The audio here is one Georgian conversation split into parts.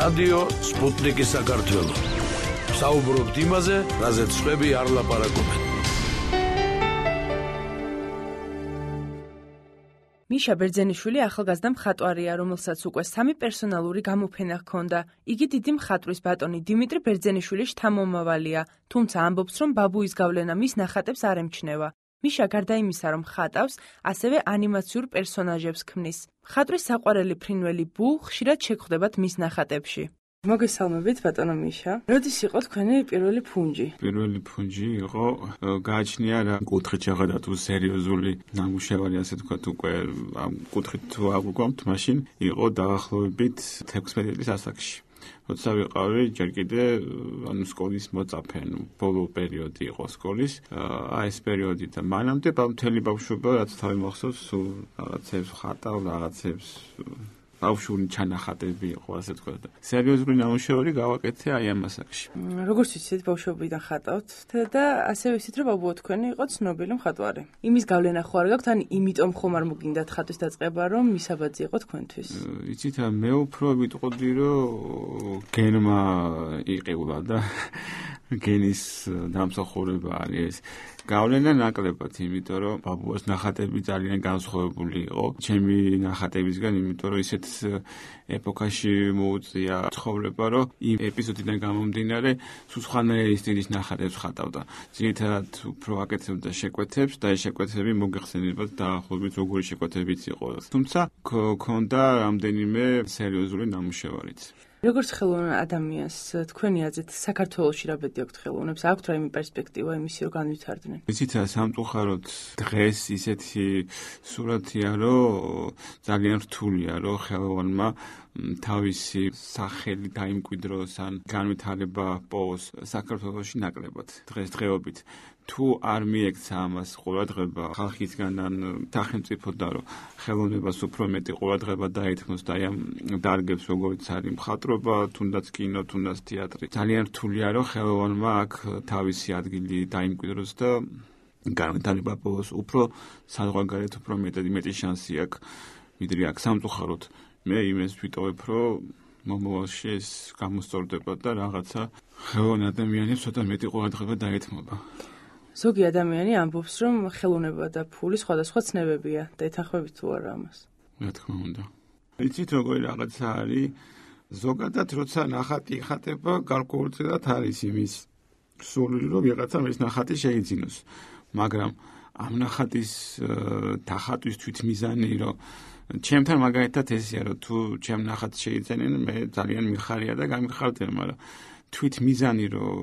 რადიო სპუტნიკი საქართველო. საუბრობთ იმაზე, რაზეც სხვები არ ლაპარაკობენ. მიშა ბერძენიშვილი ახალგაზრდა მხატვარია, რომელსაც უკვე 3 პერსონალური გამოფენა ჰქონდა. იგი დიდი მხატვრის ბატონი დიმიტრი ბერძენიშვილის შთამომავალია, თუმცა ამბობს, რომ ბაბუის გავლენა მის ნახატებს არ ემჩნევა. მიშა გარდა იმისა, რომ ხატავს, ასევე ანიმაციურ პერსონაჟებს ქმნის. მხატვრის საყვარელი ფრინველი ბუ ხშირად შეგხვდებათ მის ნახატებში. მოგესალმებით, ბატონო მიშა. როდის იყო თქვენი პირველი ფუნჯი? პირველი ფუნჯი იყო გააჩნია რა კუთხით შეღადა თუ სერიოზული ნამუშევარი, ასე თქვათ, უკვე ამ კუთხით თუ აღვგვამთ, მაშინ იყო დაახლოებით 16 წლის ასაკში. როცა ვიყავი ჯერ კიდე სკოლის მოწაფე, ბოლო პერიოდი იყო სკოლის, ეს პერიოდი და მანამდე მთელი ბავშვობა რაც თავი მახსოვს, სულ რაღაცებს ხატავ, რაღაცებს ბავშვური ჩანახატები იყო, ასე თქვა. სერიოზული ნამუშევარი გავაკეთე აი ამ ასაკში. როგორც ვიცით, ბავშვობიდან ხატავთ და ასევე ვიცით, რომ ბაბუა თქვენი იყო ცნობილი მხატვარი. იმის გავლენა ხო არ გაქვთ, ან იმიტომ ხომ არ მოგინდათ ხატვის დაწყება, რომ მისაბაძი იყო თქვენთვის? იცით, მე უფრო ვიტყოდი, რომ გენმა იყილა და გენის დამსახურება არის. გავლენა ნაკლებად, იმიტომ რომ ბაბუას ნახატები ძალიან განსხვავებული იყო ჩემი ნახატებისგან, იმიტომ რომ ისეთ ეპოქაში მოუწია ცხოვრება, რომ იმ ეპიზოდიდან გამომდინარე სულ სხვანაირი სტილის ნახატებს ხატავდა. ძირითადად უფრო აკეთებდა შეკვეთებს და ეს შეკვეთები მოგეხსენებათ დაახლოებით როგორი შეკვეთებიც იყო. თუმცა ქონდა რამდენიმე სერიოზული ნამუშევარიც. როგორც ხელოვან ადამიანს, თქვენი აზრით, საქართველოში რა ბედი აქვთ ხელოვნებს? აქვთ რა იმი პერსპექტივა იმისი, რომ განვითარდნენ? იცით, სამწუხაროდ დღეს ისეთი სურათია, რომ ძალიან რთულია, რომ ხელოვანმა თავისი სახელი დაიმკვიდროს ან განვითარება პოვოს საქართველოში ნაკლებად დღესდღეობით. თუ არ მიექცა ამას ყურადღება ხალხისგან ან სახელმწიფოდან, რომ ხელოვნებას უფრო მეტი ყურადღება დაეთმოს და აი ამ დარგებს, როგორც არის მხატვრობა, თუნდაც კინო, თუნდაც თეატრი, ძალიან რთულია, რომ ხელოვანმა აქ თავისი ადგილი დაიმკვიდროს და განვითარება პოვოს. უფრო საზღვარგარეთ უფრო მეტი შანსი აქვს, ვიდრე აქ სამწუხაროდ. მე იმას ვიტოვებ, რომ მომავალში ეს გამოსწორდება და რაღაცა ხელოვან ადამიანებს ცოტა მეტი ყურადღება დაეთმობა. ზოგი ადამიანი ამბობს, რომ ხელოვნება და ფული სხვადასხვა ცნებებია და ეთანხმებით თუ არა ამას? რა თქმა უნდა. იცით, როგორი რაღაცა არის, ზოგადად როცა ნახატი იხატება, გარკვეულწილად არის იმის სურვილი, რომ ვიღაცა ეს ნახატი შეიძინოს. მაგრამ ამ ნახატის დახატვის თვითმიზანი, რომ ჩემთან მაგალითად ესეა, რომ თუ ჩემ ნახატს შეიძენენ, მე ძალიან მიხარია და გამიხარდება, მაგრამ თვითმიზანი, რომ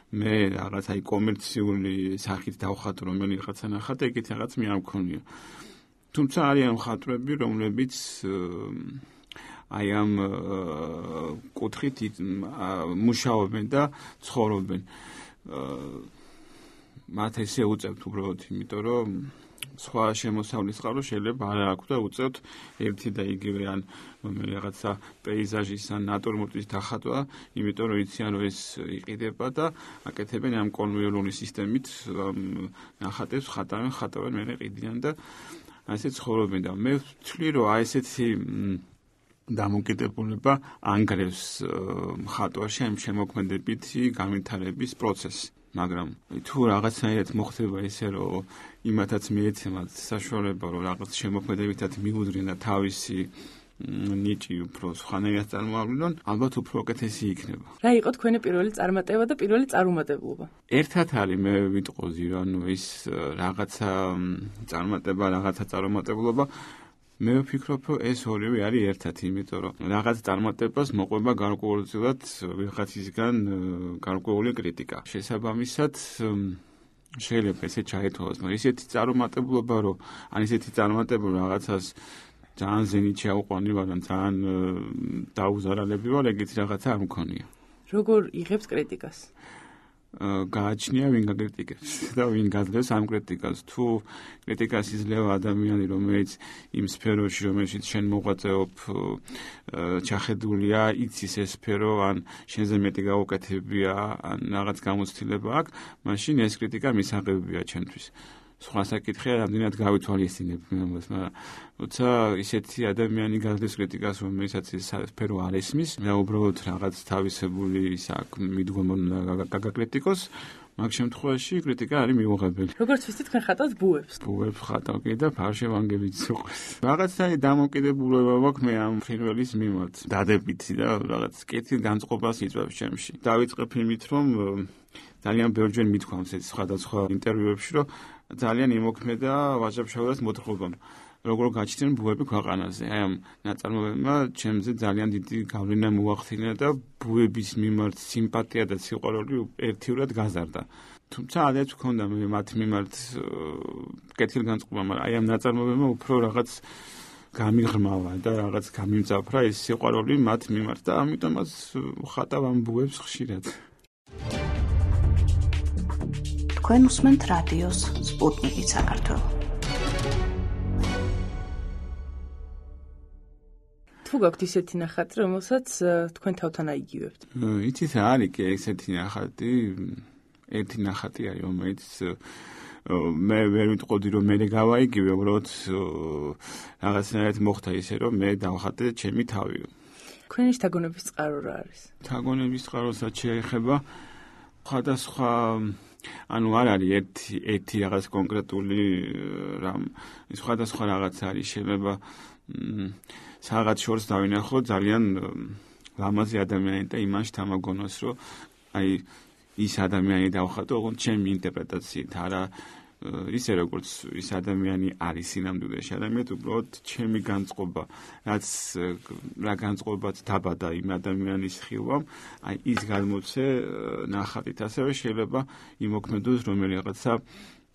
მე რაღაც აი კომერციული სახით დავხატო რომელიღაცა ნახატი, ეგეთ რაღაც მე არ მქონია. თუმცა არიან მხატვრები, რომლებიც აი ამ კუთხით მუშაობენ და ცხოვრობენ. მათ ესე უწევთ უბრალოდ, იმიტომ რომ სხვა შემოსავლის წყარო შეიძლება არ აქვს და უწევთ ერთი და იგივე ან რაღაცა პეიზაჟის ან ნატურმორტის დახატვა, იმიტომ რომ იციან რომ ეს იყიდება და აკეთებენ ამ კონვეიორული სისტემით ნახატებს ხატავენ მერე ყიდიან და ასე ცხოვრობენ და მე ვთვლი რომ აი ესეთი დამოკიდებულება ანგრევს მხატვარში ამ შემოქმედებითი განვითარების პროცესს. მაგრამ თუ რაღაცნაირად მოხდება ისე, რომ იმათაც მიეცემათ საშუალება, რომ რაღაც შემოქმედებითად მიუძღენ და თავისი ნიჭი უფრო სხვანაირად წარმოავლინონ, ალბათ უფრო უკეთესი იქნება. რა იყო თქვენი პირველი წარმატება და პირველი წარუმატებლობა? ერთად არის, მე ვიტყოდი, რომ ის რაღაცა წარმატება, რაღაცა წარუმატებლობა. მე ვფიქრობ, რომ ეს ორივე არის ერთად, იმიტომ რომ რაღაც წარმატებას მოყვება გარკვეულწილად ვიღაცისგან გარკვეული კრიტიკა. შესაბამისად, შეიძლება ესე ჩაითვალოს, მაგრამ ისეთი წარუმატებლობა, რომ ან ისეთი წარმატება რაღაცას ძალიან ზენით შეაუყვანი ვარ, ძალიან დაუზარალები ვარ, ეგეთი რაღაცა არ მქონია. როგორ იღებთ კრიტიკას? გააჩნია ვინ გაკრიტიკებს და ვინ გაძლევს ამ კრიტიკას. თუ კრიტიკას იძლევა ადამიანი, რომელიც იმ სფეროში, რომელშიც შენ მოღვაწეობ, ჩახედულია, იცის ეს სფერო, ან შენზე მეტი გაუკეთებია, ან რაღაც გამოცდილება აქვს, მაშინ ეს კრიტიკა მისაღებია ჩემთვის. სხვა საკითხია, რამდენად გავითვალისწინებ ამას, მაგრამ როცა ისეთი ადამიანი გადის კრიტიკას, რომელსაც სფერო არ ესმის, და უბრალოდ რაღაც თავისებული ის აქ მიდგომა გაგაკრიტიკოს, მაგ შემთხვევაში კრიტიკა არის მიუღებელი. როგორც ვიცით, თქვენ ხატავთ ბუებს. ბუებს ხატავ კი და ფარშევანგებიც უყვეს. რაღაცა დამოკიდებულება მაქვს მე ამ ფრინველის მიმართ. დადებითი და რაღაც კეთილ განწყობას იწვევს ჩემში. დავიწყებ იმით, რომ ძალიან ბევრჯერ მithქვამს ეს სხვადასხვა ინტერვიუებში, რომ ძალიან იმოქმედა ვაჟა-ფშაველას მოთხრობამ. როგორ გაჩნდნენ ბუები ქვეყანაზე. აი ამ ნაწარმოებებმა ჩემზე ძალიან დიდი გავლენა მოახდინა და ბუების მიმართ სიმპათია და სიყვარული ერთიურად გაზარდა. თუმცა ადრეც მქონდა მე მათ მიმართ კეთილგანწყობა, მაგრამ აი ამ ნაწარმოებებმა უფრო რაღაც გამიღრმავა და რაღაც გამიმძაფრა ეს სიყვარული მათ მიმართ და ამიტომაც ხატავ ამ ბუებს ხშირად. თქვენ უსმენთ რადიოს სპუტნიკი საქართველო. თუ გაქვთ ისეთი ნახატი, რომელსაც თქვენ თავთან აიგივებთ? იცით რა არის კი ესეთი ნახატი? ერთი ნახატი არის, რომელიც მე ვერ ვიტყოდი, რომ მე გავაიგივე, უბრალოდ რაღაცნაირად მოხდა ისე, რომ მე დავხატე ჩემი თავი. თქვენი შთაგონების წყარო რა არის? შთაგონების წყაროსაც შეეხება სხვადასხვა ანუ არ არის ერთი რაღაც კონკრეტული რამ, სხვადასხვა რაღაც არის, შეიძლება რაღაც შორს დავინახო ძალიან ლამაზი ადამიანი და იმან შთამაგონოს, რომ აი ის ადამიანი დავხატო, ოღონდ ჩემი ინტერპრეტაციით, არა ისე როგორც ის ადამიანი არის სინამდვილეში, ადამიანად უბრალოდ ჩემი განწყობა, რა განწყობაც დაბადა იმ ადამიანის ხილვამ, აი ის გადმოცე ნახატით, ასევე შეიძლება იმოქმედოს რომელიღაცა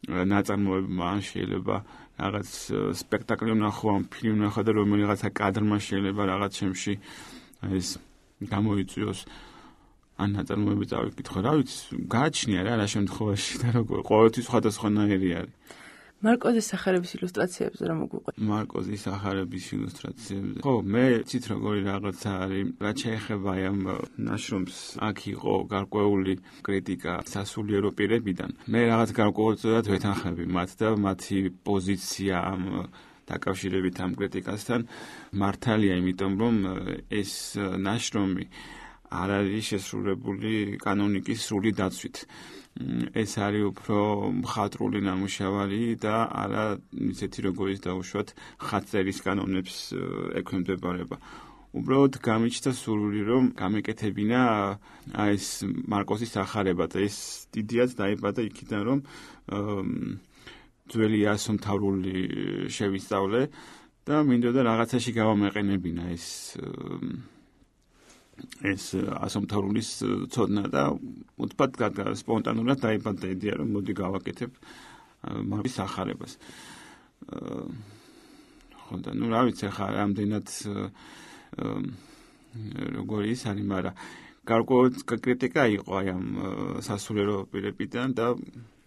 ნაწარმოებმა, შეიძლება რაღაც სპექტაკლი ვნახო, ფილმი ვნახო და რომელიღაცა კადრმა შეიძლება რაღაც ჩემში ეს გამოიწვიოს. ან ნაწარმოები წავიკითხო, რა ვიცი, გააჩნია რა შემთხვევაში და როგორ ყოველთვის სხვადასხვანაირი არის. მარკოზის სახარების ილუსტრაციებზე რა მოგვიყვეთ? მარკოზის სახარების ილუსტრაციებზე. ხო, მე ცით როგორი რაღაცა არის, რაც შეეხება ამ ნაშრომს, აქ იყო გარკვეული კრიტიკა სასულიერო პირებიდან. მე რაღაც გარკვეულწილად ვეთანხმები მათ და მათი პოზიცია ამ დაკავშირებით ამ კრიტიკასთან მართალია, იმიტომ რომ ეს ნაშრომი არ არის შესრულებული კანონიკის სრული დაცვით. ეს არის უფრო მხატვრული ნამუშევარი და არა ისეთი როგორიც დაუშვათ ხატწერის კანონებს ექვემდებარება. უბრალოდ გამიჩნდა სურვილი, რომ გამეკეთებინა ეს მარკოზის სახარება და ეს დიდიაც დაიბადა იქიდან, რომ ძველი ასომთავრული შევისწავლე და მინდოდა რაღაცაში გავამეყენებინა ეს ასომთავრულის ცოდნა და უცბად სპონტანურად დაიბადა იდეა, რომ მოდი გავაკეთებ მარკოზის სახარებას. ხო და რა ვიცი ხა რამდენად როგორი ის არის, მაგრამ გარკვეული კრიტიკა იყო აი ამ სასულიერო პირებიდან და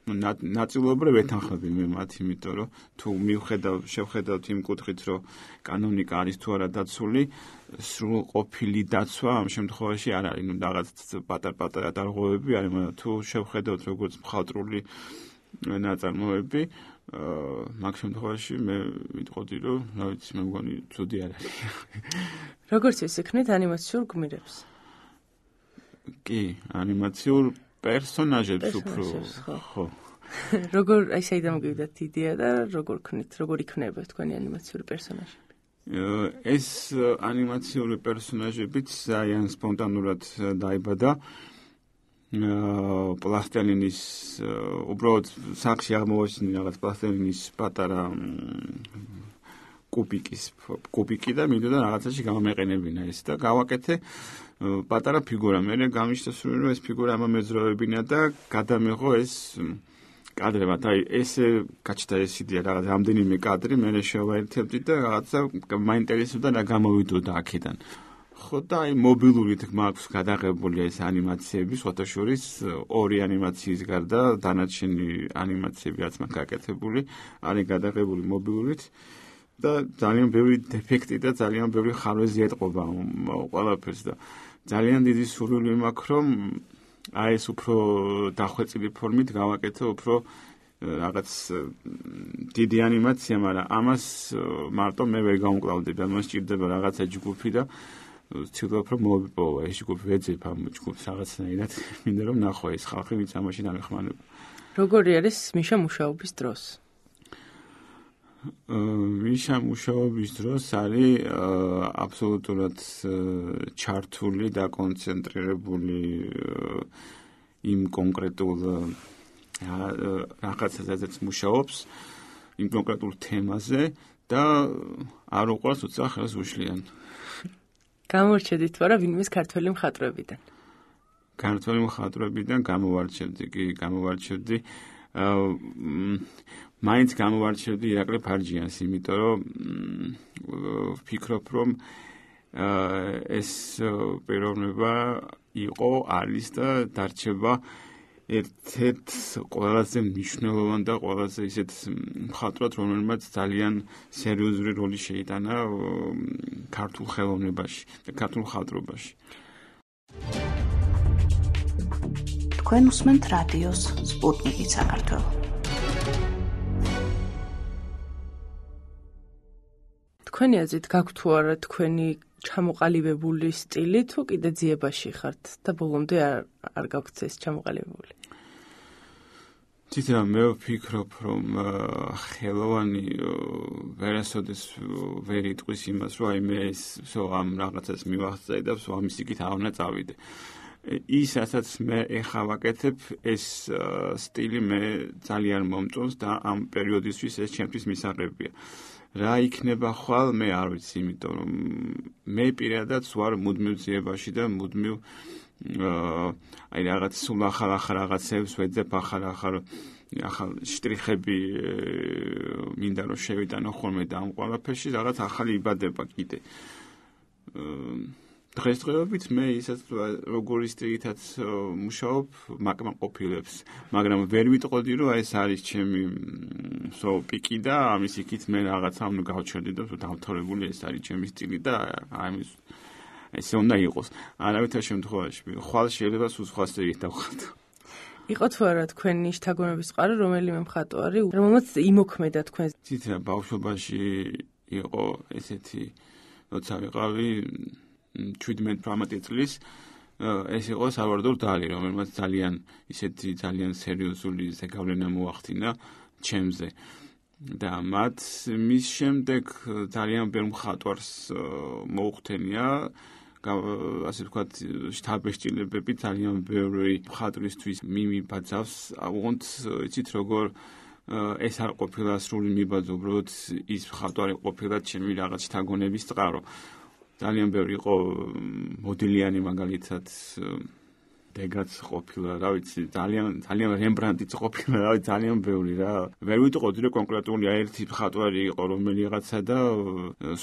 ნაწილობრივ ეთანხმები მე მათ, იმიტომ რომ თუ შევხედავთ იმ კუთხით, რომ კანონიკა არის თუ არა დაცული, სრულყოფილი დაცვა ამ შემთხვევაში არ არის, რაღაც პატარ-პატარა დარღვევები არის, მაგრამ თუ შევხედავთ როგორც მხატვრული ნაწარმოები, მაგ შემთხვევაში მე ვიტყოდი, რომ რა ვიცი, მე მგონი ცუდი არ არის. როგორც ისიქნით ანიმაციურ გმირებს? კი, ანიმაციურ პერსონაჟებს უფრო, ხო. როგორ აი საიდან მოგივიდათ იდეა და როგორ იქნება თქვენი ანიმაციური პერსონაჟები? ეს ანიმაციური პერსონაჟებიც ძალიან სპონტანურად დაიბადა. პლასტელინის უბრალოდ სახში აღმოვაჩინე რაღაც პლასტელინის პატარა კუბიკი და მინდოდა რაღაცაში გამომეყენებინა ეს და გავაკეთე პატარა ფიგურა. მე გამიშთა სურვილი, რომ ეს ფიგურა ამამეძრავებინა და გადამეღო ეს კადრებად. აი ესე გაჩნდა ეს იდეა, რაღაც რამდენიმე კადრი მე შევაერთებდი და რაღაცა მაინტერესებდა და გამოვიდოდა აქედან. ხო და აი მობილურით მაქვს გადაღებული ეს ანიმაციები, სხვათაშორის ორი ანიმაციის გარდა დანარჩენი ანიმაციები რაც მაქვს გაკეთებული, არის გადაღებული მობილურით. და ძალიან ბევრი დეფექტი და ძალიან ბევრი ხარვეზი ეტყობა ყველაფერს და ძალიან დიდი სურვილი მაქვს, რომ აი ეს უფრო დახვეწილი ფორმით გავაკეთო, უფრო რაღაც დიდი ანიმაცია, მაგრამ ამას მარტო მე ვერ გამკლავდები, ამას ჭირდება რაღაცა ჯგუფი და ვცდილობ რომ მოვიპოვა ეს ჯგუფი, ვეძებ ამ ჯგუფს რაღაცნაირად, მინდა რომ ნახო ეს ხალხი, ვინც ამაში დამეხმარება. როგორი არის მიშა მუშაობის დროს? მიშა მუშაობის დროს არის აბსოლუტურად ჩართული და კონცენტრირებული იმ კონკრეტულ რაღაცაზეც მუშაობს, იმ კონკრეტულ თემაზე და არ უყვარს უცა ხელს უშლიან. გამორჩედით ვარა ვინმეს ქართველი მხატვრებიდან? ქართველი მხატვრებიდან გამოვარჩევდი მაინც გამოვარჩევდი ირაკლი ფარჯიანს, იმიტომ რომ ვფიქრობ, რომ ეს პიროვნება იყო, არის და დარჩება ერთ-ერთ ყველაზე მნიშვნელოვანი და ყველაზე ისეთ მხატვრად, რომელმაც ძალიან სერიოზული როლი შეიტანა ქართულ ხელოვნებაში და ქართულ მხატვრობაში. თქვენ უსმენთ რადიოს სპუტნიკი საქართველო. თქვენი აზრით გაქვთ თუ არა თქვენი ჩამოყალიბებული სტილი, თუ კიდე ძიებაში ხართ და ბოლომდე არ გაქვთ ეს ჩამოყალიბებული? თვითონ მე ვფიქრობ, რომ ხელოვანი ვერასოდეს ვერ იტყვის იმას, რომ აი მე ამ რაღაცას მივახცე და ამის იქით არ უნდა წავიდე. ის, რასაც მე ეხლა ვაკეთებ, ეს სტილი მე ძალიან მომწონს და ამ პერიოდისთვის ეს ჩემთვის მისაღებია. რა იქნება ხვალ, მე არ ვიცი, იმიტომ რომ მე პირადად ვარ მუდმივ ძიებაში და მუდმივ აი რაღაც სულ ახალ რაღაცებს ვეძებ, ახალ შტრიხები მინდა რომ შევიტანო ხოლმე და ამ ყველაფერში რაღაც ახალი იბადება კიდე. დღესდღეობით მე ისაც როგორი სტილითაც მუშაობ, მაკმაყოფილებს, მაგრამ ვერ ვიტყოდი, რომ ეს არის ჩემი პიკი და ამის იქით მე რაღაცა უნდა გავჩერდი და დავთორებული ეს არის ჩემი სტილი და ამის ესე უნდა იყოს. არავითარ შემთხვევაში ხვალ შეიძლება სულ სხვა სტილით დავხატო. იყო თუ არა თქვენი შთაგონების წყარო რომელიმე მხატვარი, რომელმაც იმოქმედა თქვენს? თვითონ ბავშვობაში იყო ესეთი, როცა ვიყავი 17-18 წლის, ეს იყო სალვადორ დალი, რომელმაც ძალიან სერიოზული ზეგავლენა მოახდინა ჩემზე. და მის შემდეგ ძალიან ბევრ მხატვარს მოუხდენია, ასე ვთქვათ, შთაბეჭდილებები ძალიან ბევრი მხატვრისთვის მიმიბაძავს. უღონდ იცით როგორ ეს არ ყოფილა სრული მიბაძვა, უბრალოდ ის მხატვარი ყოფილა ჩემი რაღაც შთაგონების წყარო. ძალიან ბევრი იყო მოდელიანი, მაგალითად დეგაც ყოფილა, რა ვიცი, ძალიან რემბრანდიც ყოფილა, რა ვიცი, ძალიან ბევრი რა. ვერ ვიტყოდი, რომ კონკრეტული ერთი მხატვარი იყო რომელიღაცა და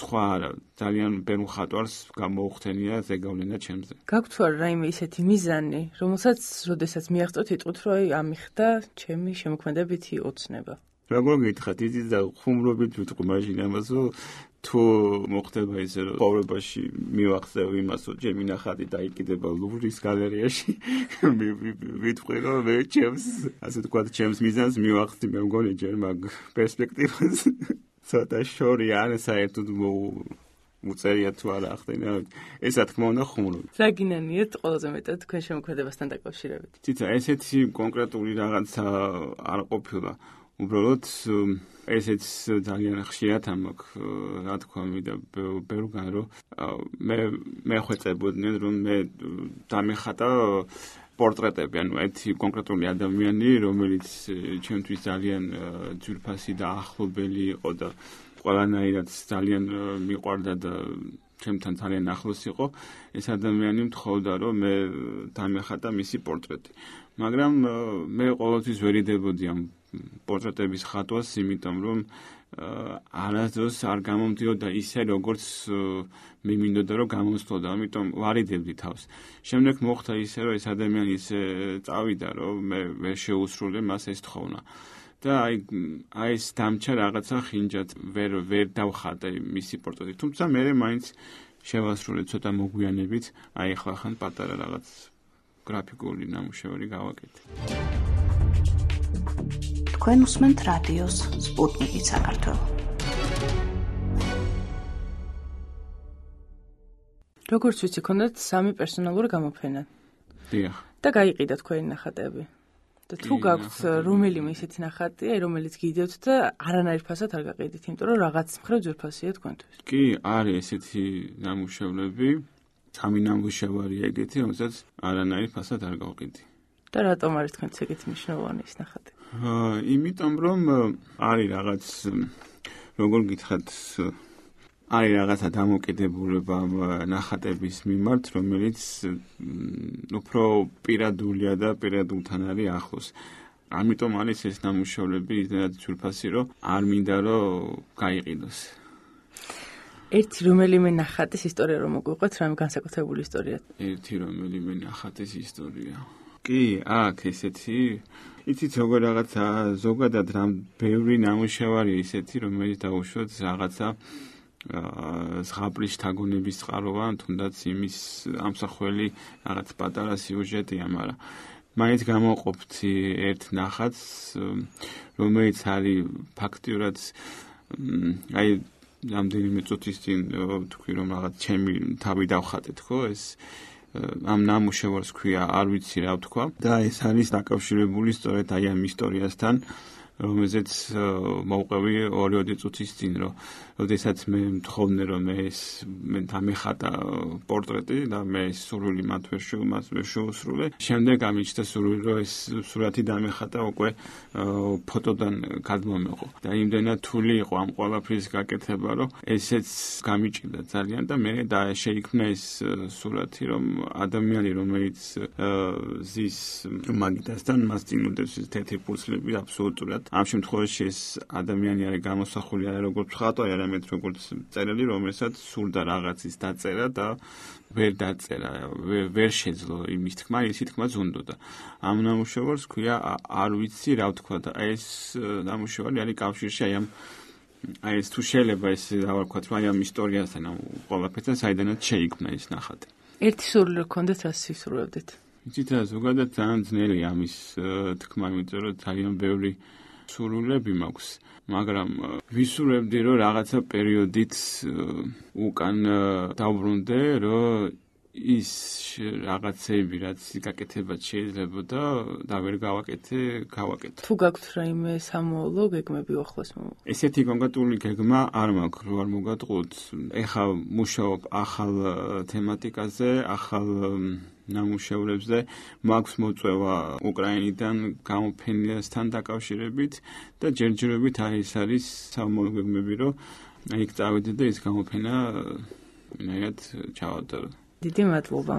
სხვა არა. ძალიან ბევრ მხატვარს გამოუხდენია ზეგავლენა ჩემზე. გაქვთ თუ არა რაიმე ისეთი მიზანი, რომელსაც როდესაც მიაღწევთ, იტყვით, რომ აი ამიხდა ჩემი შემოქმედებითი ოცნება? როგორ გითხრათ, იცით და ხუმრობით ვიტყვი მაშინ ამას, რომ თუ მოხდება ისე, რომ ცხოვრებაში მივახსევ იმას, რომ ჩემი ნახატი დაიკიდება ლუვრის გალერეაში, ვიტყვი, რომ მე ასე ვთქვათ, ჩემს მიზანს მივახსნი, მე მგონი ჯერ მაგ პერსპექტივას ცოტა შორია, ან საერთოდ უწერია თუ არა ახდენა. ეს რა თქმა უნდა ხუმრობ. რა გინანიათ ყველაზე მეტად თქვენ შემოქმედებასთან დაკავშირებით? თვითონ ესეთი კონკრეტული რაღაცა არ ყოფილა. უბრალოდ ესეც ძალიან ხშირად ამაქვს, რა თქვა მინდა ბევრგან, რომ მე ხვეწებოდნენ, რომ მე დამეხატა პორტრეტები, ანუ ერთი კონკრეტული ადამიანი, რომელიც ჩემთვის ძალიან ძვირფასი და ახლობელი იყო და ყველანაირად ძალიან მიყვარდა და ჩემთან ძალიან ახლოს იყო, ეს ადამიანი მთხოვდა, რომ მე დამეხატა მისი პორტრეტი. მაგრამ მე ყოველთვის ვერიდებოდი ამ პორტრეტების ხატვას, იმიტომ რომ არასდროს არ გამომდიოდა ისე, როგორც მე მინდოდა რომ გამოსვლოდა, ამიტომ ვარიდებდი თავს. შემდეგ მოხდა ისე, რომ ეს ადამიანი ისე წავიდა, რომ მე ვერ შეუსრულე მას ეს თხოვნა. და აი ეს დამჩა რაღაცა ხინჯად ვერ დავხატე მისი პორტრეტი. თუმცა მე მაინც შევასრულე ცოტა მოგვიანებით, აი ახლა ხან პატარა რაღაც გრაფიკული ნამუშევარი გავაკეთე. თქვენ უსმენთ რადიოს სპუტნიკი საქართველო. როგორც ვიცი, ქონდათ 3 პერსონალური გამოფენა. დიახ. და გაიყიდა თქვენი ნახატები. და თუ გაქვთ რომელიმე ისეთი ნახატი, რომელიც გიდევთ და არანაირ ფასად არ გაყიდით, იმიტომ რომ რაღაც მხრივ ძვირფასია თქვენთვის. კი, არის ესეთი ნამუშევრები, 3 ნამუშევარია ეგეთი, რომელსაც არანაირ ფასად არ გავყიდი. და რატომ არის თქვენთვის ეგეთი მნიშვნელოვანი ეს ნახატი? იმიტომ რომ არის რაღაც როგორ გითხრათ, არის რაღაცა დამოკიდებულება ნახატების მიმართ, რომელიც უფრო პირადულია და პირადულთან არის ახლოს. ამიტომ არის ეს ნამუშევრები ისედაც ძვირფასი, რომ არ მინდა რომ გაიყიდოს. ერთი რომელიმე ნახატის ისტორია რომ მოგვიყვეთ, რამე განსაკუთრებული ისტორია. ერთი რომელიმე ნახატის ისტორია. კი, აქ ესეთი იცით როგორ რაღაცა ზოგადად რამ ბევრი ნამუშევარი ისეთი, რომელიც დაუშვათ რაღაცა ზღაპრის შთაგონების წყაროა, თუნდაც იმის ამსახველი რაღაც პატარა სიუჟეტია, მაგრამ მაინც გამოვყოფთ ერთ ნახატს, რომელიც არის ფაქტიურად აი რამდენიმე წუთის წინ თქვი რომ რაღაც ჩემი თავი დავხატეთ, ხო, ეს ამ ნამუშევარს ქვია, არ ვიცი რა ვთქვა და ეს არის დაკავშირებული სწორედ აი ამ ისტორიასთან, რომელზეც მოვყევი 2 წუთის წინ, რომ როდესაც მე მთხოვნე რომ მე დამეხატა პორტრეტი და მე სურვილი მათ ვერ შეუსრულე. შემდეგ ამიჩნდა სურვილი რომ ეს სურათი დამეხატა უკვე ფოტოდან გადმომეყო. და იმდენად თული იყო ამ ყველაფრის გაკეთება, რომ ესეც გამიჭირდა ძალიან და მე შეიქმნა ეს სურათი, რომ ადამიანი რომელიც ზის მაგიდასთან მას წინ უდევს თეთრი ფურცლები აბსოლუტურად. ამ შემთხვევაში ეს ადამიანი არის გამოსახული არა როგორც მხატვარი, არამედ როგორც მწერალი, რომელსაც სურდა რაღაცის დაწერა და ვერ დაწერა, ვერ შეძლო იმის თქმა, ისი თქმა ზუნდოდა. ამ ნამუშევარს ქვია არ ვიცი რა ვთქვა და ეს ნამუშევარი არის კავშირში აი ეს თუ შეიძლება ეს რა ვთქვათ, აი ამ ისტორიასთან, ამ ყველაფერთან საიდანაც შეიქმნა ეს ნახატი. ერთი სურვილი რო გქონდეთ, რას სისურვებდით? იცით რა, ზოგადად ძალიან ძნელია ამის თქმა, იმიტომ რომ ძალიან ბევრი სურვილები მაქვს, მაგრამ ვისურვებდი რომ რაღაცა პერიოდით უკან დავბრუნდე, რომ ის რაღაცები რაც გაკეთება შეიძლება და ვერ გავაკეთე. თუ გაქვთ რაიმე სამოვლო გეგმები ახლოს მომავალ? ესეთი კონკრეტული გეგმა არ მაქვს, რომ არ მოგატყუოთ. ეხლა მუშაობ ახალ თემატიკაზე, ახალ ნამუშევრებზე, მაქვს მოწვევა უკრაინიდან გამოფენასთან დაკავშირებით და ჯერჯერობით არის სამოვლო გეგმები, რომ იქ წავიდე და ის გამოფენა ნაირად ჩავატარო. დიდი მადლობა.